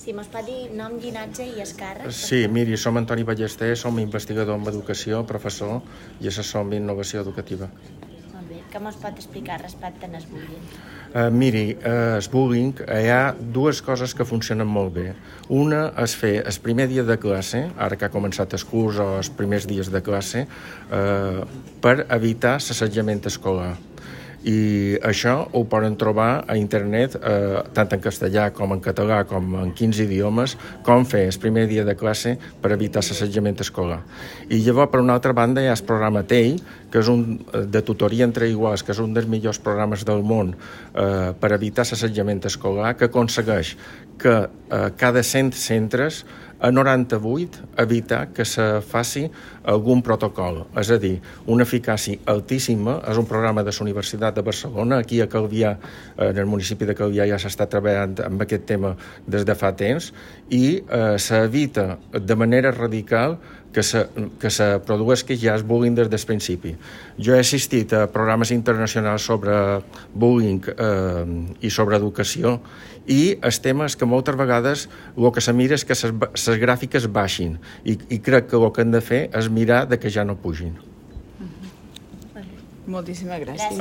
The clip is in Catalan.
Si mos pot dir nom, llinatge i escàrrec? Sí, miri, som Antoni Ballester, som investigador en educació, professor i assessor en innovació educativa. Molt bé. Què mos pot explicar respecte al bullying? Miri, el bullying, hi ha dues coses que funcionen molt bé. Una és fer el primer dia de classe, ara que ha començat el curs o els primers dies de classe, per evitar l'assetjament escolar. I això ho poden trobar a internet, tant en castellà com en català, com en 15 idiomes, com fer el primer dia de classe per evitar l'assetjament escolar. I llavors, per una altra banda, hi ha el programa TEI, que és un de tutoria entre iguals, que és un dels millors programes del món per evitar l'assetjament escolar, que aconsegueix que cada 100 centres a 98 evitar que se faci algun protocol, és a dir, una eficàcia altíssima. És un programa de la Universitat de Barcelona, aquí a Calvià, en el municipi de Calvià ja s'està treballant amb aquest tema des de fa temps, i s'evita de manera radical que se produeixi ja el bullying des del principi. Jo he assistit a programes internacionals sobre bullying i sobre educació, i el tema és que moltes vegades el que se mira és que les gràfiques baixin, i crec que el que hem de fer és mirar de que ja no pugin. Moltíssimes gràcies.